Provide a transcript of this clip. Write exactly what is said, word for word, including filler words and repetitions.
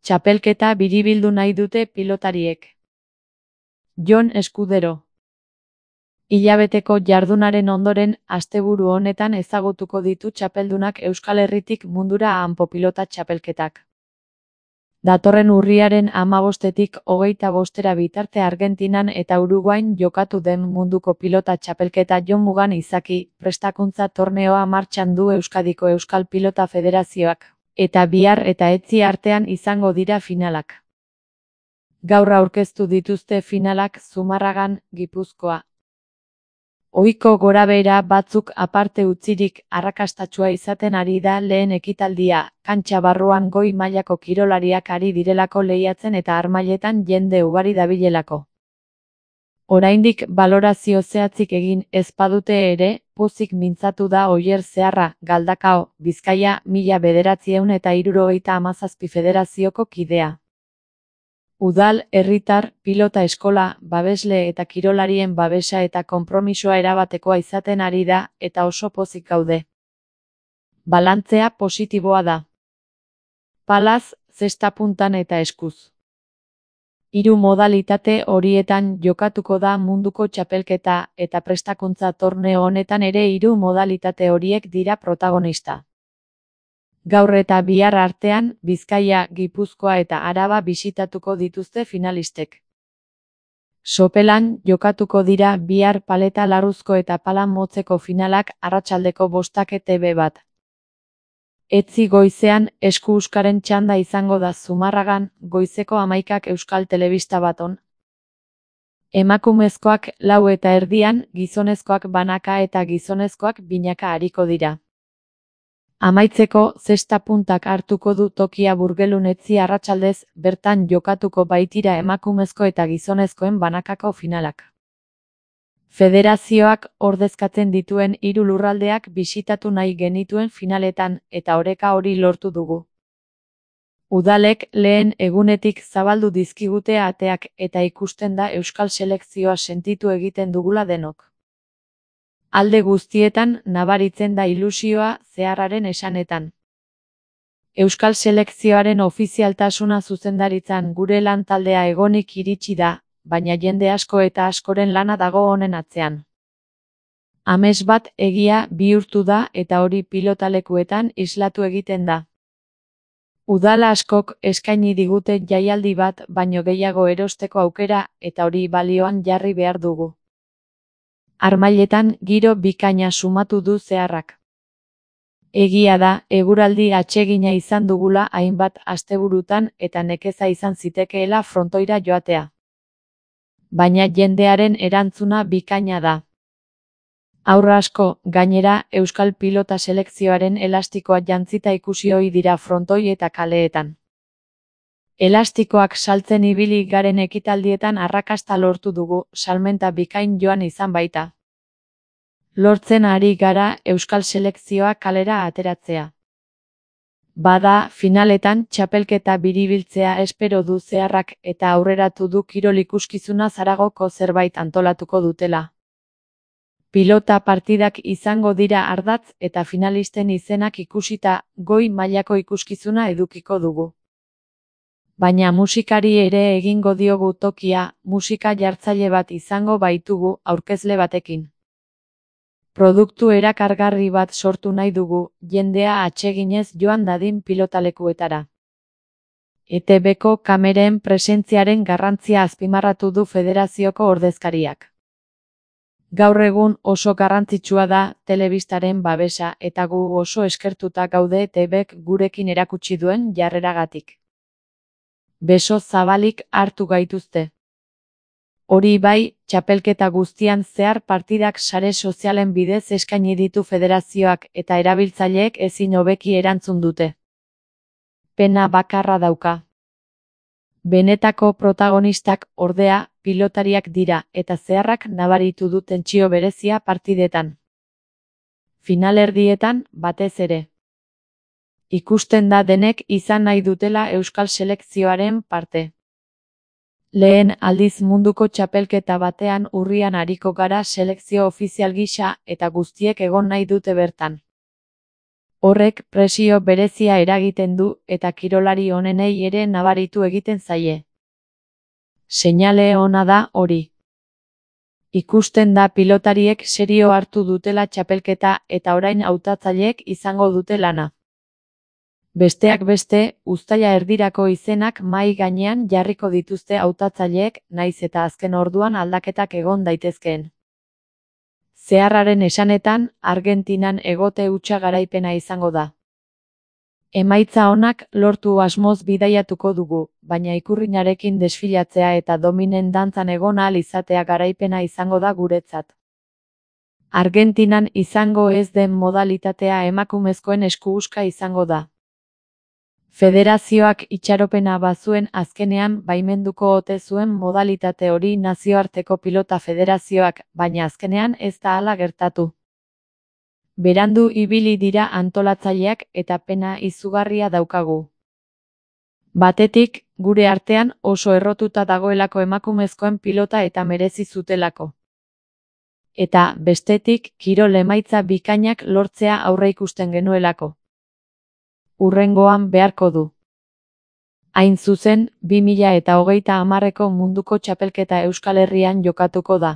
Txapelketa biribildu nahi dute pilotariek. Jon Eskudero. Hilabeteko jardunaren ondoren, asteburu honetan ezagutuko ditu txapeldunak Euskal Herritik mundura hanpo pilota txapelketak. Datorren urriaren hamabostetik hogeita bostera bitarte Argentinan eta Uruguain jokatu den munduko pilota txapelketa Jon Mugan izaki, prestakuntza torneoa martxan du Euskadiko Euskal Pilota Federazioak, eta bihar eta etzi artean izango dira finalak. Gaur aurkeztu dituzte finalak Zumarragan, Gipuzkoa. Ohiko gorabehera batzuk aparte utzirik arrakastatsua izaten ari da lehen ekitaldia, kantxa barruan goi mailako kirolariak ari direlako lehiatzen eta harmailetan jende ugari dabilelako. Oraindik balorazio zehatzik egin ez badute ere, pozik mintzatu da Oier Zeharra, Galdakao, Bizkaia, mila bederatziehun eta hirurogeita hamazazpi federazioko kidea. Udal, herritar, pilota eskola, babesle eta kirolarien babesa eta konpromisoa erabatekoa izaten ari da, eta oso pozik gaude. Balantzea positiboa da. Palaz, zesta puntan eta eskuz. Hiru modalitate horietan jokatuko da munduko txapelketa, eta prestakuntza torneo honetan ere hiru modalitate horiek dira protagonista. Gaur eta bihar artean, Bizkaia, Gipuzkoa eta Araba bisitatuko dituzte finalistek. Sopelan jokatuko dira bihar paleta larruzko eta pala motzeko finalak arratsaldeko bostak E T B bat. Etzi goizean, esku-uskaren txanda izango da Zumarragan, goizeko hamaikak Euskal Telebista baton. Emakumezkoak lau eta erdian, gizonezkoak banaka eta gizonezkoak binaka ariko dira. Amaitzeko, zesta puntak hartuko du tokia Burgelun etzi arratsaldez, bertan jokatuko baitira emakumezko eta gizonezkoen banakako finalak. Federazioak ordezkatzen dituen hiru lurraldeak bisitatu nahi genituen finaletan, eta oreka hori lortu dugu. Udalek lehen egunetik zabaldu dizkigute ateak eta ikusten da Euskal selekzioa sentitu egiten dugula denok. Alde guztietan nabaritzen da ilusioa Zeharraren esanetan. Euskal selekzioaren ofizialtasuna zuzendaritzan gure lan taldea egonik iritsi da, baina jende asko eta askoren lana dago honen atzean. Amets bat egia bihurtu da eta hori pilotalekuetan islatu egiten da. Udala askok eskaini digute jaialdi bat baino gehiago erosteko aukera eta hori balioan jarri behar dugu. Harmailetan giro bikaina sumatu du Zeharrak. Egia da, eguraldi atsegina izan dugula hainbat asteburutan eta nekeza izan zitekeela frontoira joatea. Baina jendearen erantzuna bikaina da. Haur asko, gainera, Euskal Pilota selekzioaren elastikoa jantzita ikusi ohi dira frontoi eta kaleetan. Elastikoak saltzen ibili garen ekitaldietan arrakasta lortu dugu, salmenta bikain joan izan baita. Lortzen ari gara Euskal selekzioa kalera ateratzea. Bada, finaletan txapelketa biribiltzea espero du Zeharrak eta aurreratu du kirol ikuskizuna Zaragoko zerbait antolatuko dutela. Pilota partidak izango dira ardatz eta finalisten izenak ikusita goi mailako ikuskizuna edukiko dugu. Baina musikari ere egingo diogu tokia, musika jartzaile bat izango baitugu aurkezle batekin. Produktu erakargarri bat sortu nahi dugu, jendea atseginez joan dadin pilotalekuetara. E T Bko kameren presentziaren garrantzia azpimarratu du federazioko ordezkariak. Gaur egun oso garrantzitsua da telebistaren babesa eta gu oso eskertuta gaude E T Bk gurekin erakutsi duen jarreragatik. Beso zabalik hartu gaituzte. Hori bai, txapelketa guztian zehar partidak sare sozialen bidez eskaini ditu federazioak eta erabiltzaileek ezin hobeki erantzun dute. Pena bakarra dauka. Benetako protagonistak, ordea, pilotariak dira eta Zeharrak nabaritu du tentsio berezia partidetan. Finalerdietan, batez ere. Ikusten da denek izan nahi dutela Euskal selekzioaren parte. Lehen aldiz munduko txapelketa batean urrian ariko gara selekzio ofizial gisa eta guztiek egon nahi dute bertan. Horrek presio berezia eragiten du eta kirolari onenei ere nabaritu egiten zaie. Seinale ona da hori. Ikusten da pilotariek serio hartu dutela txapelketa eta orain hautatzaileek izango dute lana. Besteak beste, uztaila erdirako izenak mahai gainean jarriko dituzte hautatzaileek, nahiz eta azken orduan aldaketak egon daitezkeen. Zeharraren esanetan, Argentinan egote hutsa garaipena izango da. Emaitza onak lortu asmoz bidaiatuko dugu, baina ikurrinarekin desfilatzea eta dominen dantzan egon ahal izatea garaipena izango da guretzat. Argentinan izango ez den modalitatea emakumezkoen eskubuska izango da. Federazioak itxaropena bazuen azkenean baimenduko ote zuen modalitate hori nazioarteko pilota federazioak, baina azkenean ez da hala gertatu. Berandu ibili dira antolatzaileak eta pena izugarria daukagu. Batetik, gure artean oso errotuta dagoelako emakumezkoen pilota eta merezi zutelako. Eta, bestetik, kirol emaitza bikainak lortzea aurreikusten genuelako. Hurrengoan beharko du. Hain zuzen, bi mila eta hogeita hamarreko munduko txapelketa Euskal Herrian jokatuko da.